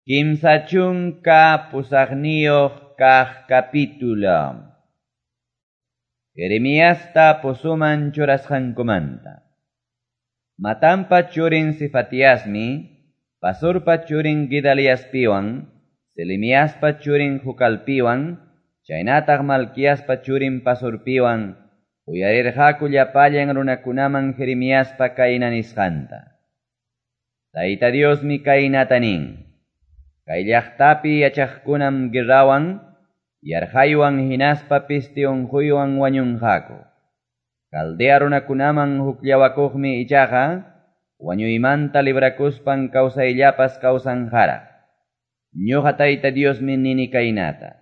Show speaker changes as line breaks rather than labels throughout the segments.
38 kaq capítulo. Jeremiasta pozoman churasqankumanta. Matanpa churin Sefatiasmi, Pasurpa churin Gedaliaspiwan, Selemiaspa churin Jucalpiwan, chaynataq Malquiaspa churin Pasurpiwan, uyarirqaku llapallan runakunaman Jeremiaspa kayna nisqanta. Tayta Diosmi kaynata nin. Kay llaqtapi yachaqkunam guerrawan, yarqaywan hinaspa peste unquywan wañunqaku. Caldea runakunaman hukllawakuqmi ichaqa, wañuymanta librakuspan kawsayllapas kawsanqaraq. Ñuqa Tayta Diosmi nini kaynata.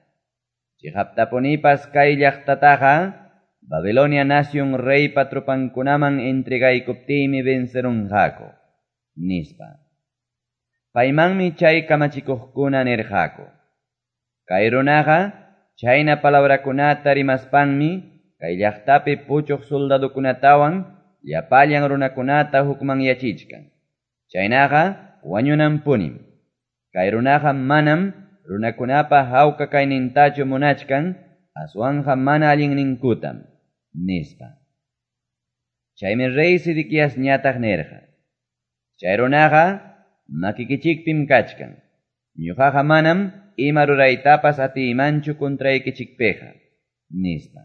Chiqaptapunipas kay llaqtataqa, Babilonia nación reypa tropankunaman entregaykuptiymi vencerunqaku, nispa. Paymanmi chay kamachikuqkuna nirqaku. Kay runaqa chayna palabrakunata rimaspanmi kay llaqtapi puchuq soldadokunatawan llapallan runakunata hukmanyachichkan. Chaynaqa wañunanpunim. Kay runaqa manam runakunapa hawka kaynintachu munachkan, aswanqa mana allinninkutam, nispa. Chaymi rey Sedequiasñataq nirqa. Chay runaqa makikichikpim kachkan. Ñuqaqa manam ima ruraytapas atiymanchu contraykichikpiqa, nispa.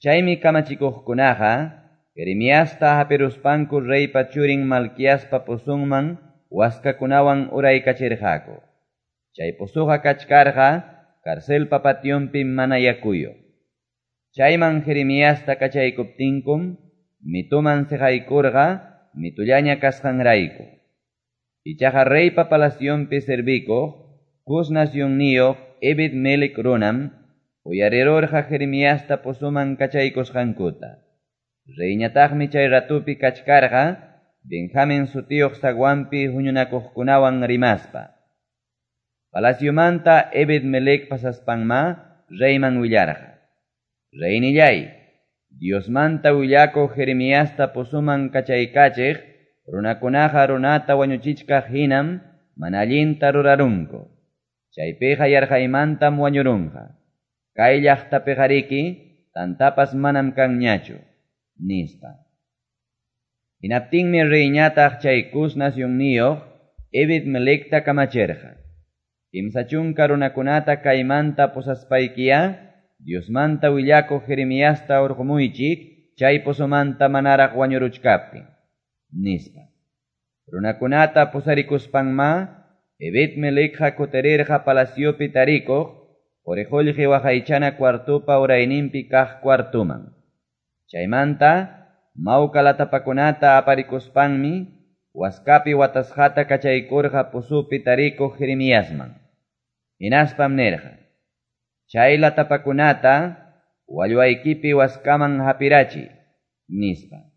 Chaymi kamachikuqkunaqa Jeremiasta hapiruspanku reypa churin Malquiaspa pozonman waskakunawan uraykachirqaku. Chay pozoqa kachkarqa carcelpa pationpi mana yakuyuq. Chayman Jeremiasta kachaykuptinkum mituman siqaykurqa mitullaña kasqanrayku. Ichaqa reypa palacionpi servikuq Cus nacionniyuq Ebed-melec runam uyarirurqa Jeremiasta pozoman kachaykusqankuta. Reyñataqmi chay ratupi kachkarqa Benjamin sutiyuq zaguanpi huñunakuqkunawan rimaspa. Palaciomanta Ebed-melec pasaspanma reyman willarqa. Reynillay, Diosmanta willakuq Jeremiasta pozoman kachaykachiq runakunaqa runata wañuchichkaq hinam mana allinta rurarunku. Chaypiqa yarqaymantam wañurunqa. Kay llaqtapiqariki tantapas manam kanñachu, nispa. Hinaptinmi reyñataq chay Cus nacionniyuq Ebed-melecta kamachirqa. 30 runakunata kaymanta pusaspaykiya, Diosmanta willakuq Jeremiasta urqumuychik chay pozomanta manaraq wañuruchkaptin, nispa. Runakunata pusarikuspanma, Ebed-melecqa kutirirqa palaciopi tarikuq, quri-qullqi waqaychana cuartupa urayninpi kaq cuartuman. Chaymanta, mawka latapakunata aparikuspanmi, waskapi watasqata kachaykurqa pozopi tarikuq Jeremiasman. Hinaspam nirqa: Chay latapakunata wallwaykipi waskaman hapirachi, nispa.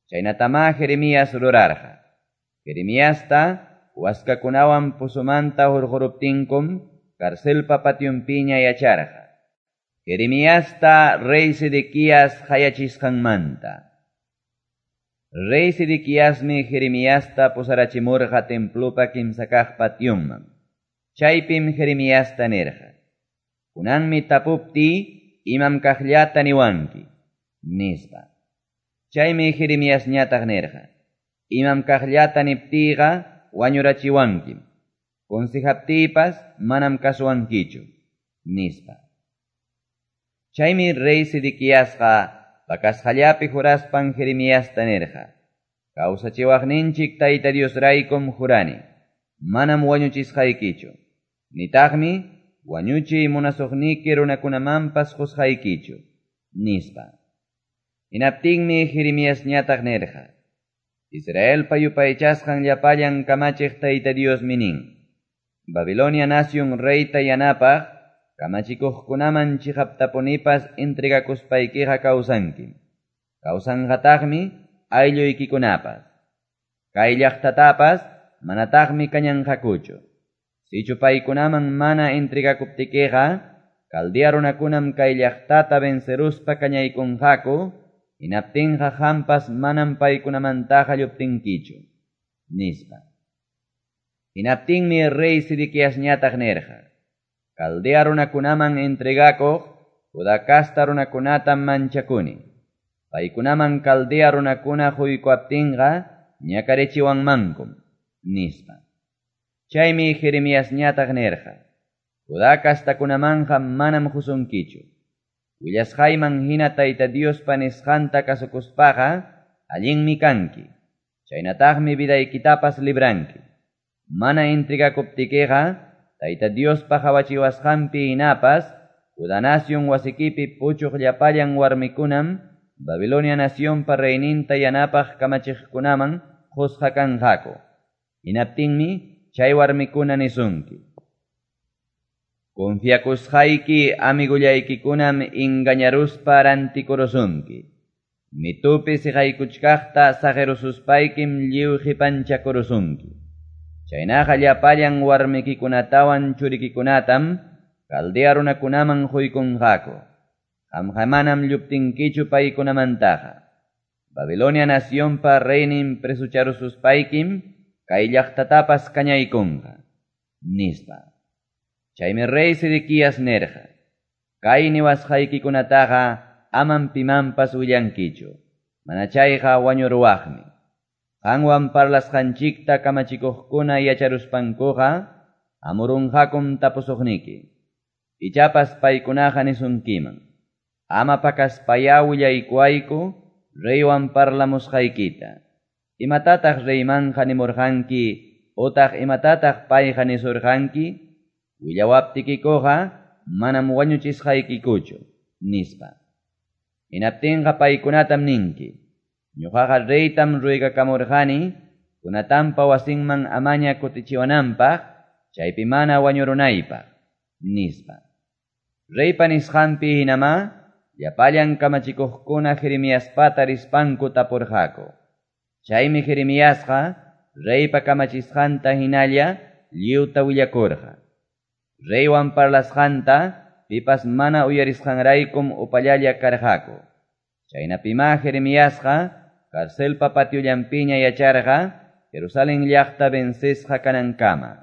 Chaynatamá Jeremías rurarqa. Jeremiasta waskakunawan pozomanta hurquruptinkum carcelpa pationpiña yacharqa. Jeremiasta rey Sedequías qayachisqanmanta. Rey Sedequiasmi Jeremiasta pusarachimurqa templopa kimsa kaq pationman. Chaypim Jeremiasta nirqa: Kunanmi tapupti imam kaqllata niwanki, nispa. Chaymi Jeremiasñataq nirqa: Imam kaqllata niptiyqa wañurachiwankim. Consejaptiypas manam kasuwankichu, nispa. Chaymi rey Sedequiasqa pakasqallapi juraspan Jeremiasta nirqa: Kawsachiwaqninchik Tayta Diosraykum jurani, manam wañuchisqaykichu, nitaqmi wañuchiy munasuqniki runakunamanpas qusqaykichu, nispa. Hinaptinmi Jeremiasñataq nirqa: Israelpa yupaychasqan llapallan kamachiq Tayta Diosmi nin: Babilonia nación reyta yanapaq kamachikuqkunaman chiqaptapunipas entregakuspaykiqa kawsankim. Kawsanqataqmi aylluykikunapas. Kay llaqtatapas manataqmi kañanqakuchu. Sichu paykunaman mana entregakuptikiqa, Caldea runakunam kay llaqtata venceruspa kañaykunqaku, hinaptinqa qampas manam paykunamantaqa lluptinkichu, nispa. Hinaptinmi rey Sedequiasñataq nirqa, Caldea runakunaman entregakuq Judá casta runakunatam manchakuni. Paykunaman Caldea runakuna qoykuwaptinqa ñakarichiwanmankum, nispa. Chaymi Jeremiasñataq nirqa, Judá castakunamanqa manam qosunkichu. Willasqayman hina Tayta Diospa nisqanta kasukuspaqa allinmi kanki, chaynataqmi vidaykitapas libranki. Mana entregakuptikiqa Tayta Diospa qawachiwasqanpi hinapas Judá nacion wasikipi puchuq llapallan warmikunam Babilonia nacionpa reyninta yanapaq kamachiqkunaman qosqa kanqaku. Hinaptinmi chay warmikuna nisunki: Confiakusqayki amigollaykikunam engañaruspa rantikurusunki. Mitupi seqaykuchkaqta saqerususpaykim lliw qepanchakurusunki. Chaynaqa llapallan warmikikunatawan churikikunatam Caldea runakunaman qoykunqaku. Qamqa manam lluptinkichu paykunamantaqa. Babilonia nacionpa reynin presocharususpaykim kay llaqtatapas kañaykunqa, nispa. Chaymi rey Sedequías nirqa, Kay niwasqaykikunataqa amam pimanpas willankichu, mana chayqa wañuruwaqmi. Qanwan parlasqanchikta kamachikuqkuna yacharuspankuqa hamurunqakum tapusuqniki. Ichapas paykunaqa nisunkiman: Ama pakaspayá willaykuwayku reywan parlamusqaykita. Imatataq reymanqa nimurqanki otaq imatataq payqa nisurqanki? Willawaptikikuqa manam wañuchisqaykikuchu, nispa. Hinaptinqa paykunatam ninki: Ñuqaqa reytam ruegakamurqani Jonatanpa wasinman amaña kutichiwananpaq, chaypi mana wañurunaypaq, nispa. Reypa nisqanpi hinamá llapallan kamachikuqkuna Jeremiaspata rispanku tapurqaku. Chaymi Jeremiasqa reypa kamachisqanta hinalla lliwta willakurqa. Reywan parlasqanta pipas mana uyarisqanraykum upallalla karqaku. Chaynapimá Jeremiasqa carcelpa patiollanpiña yacharqa Jerusalén llaqta vencesqa kanankama.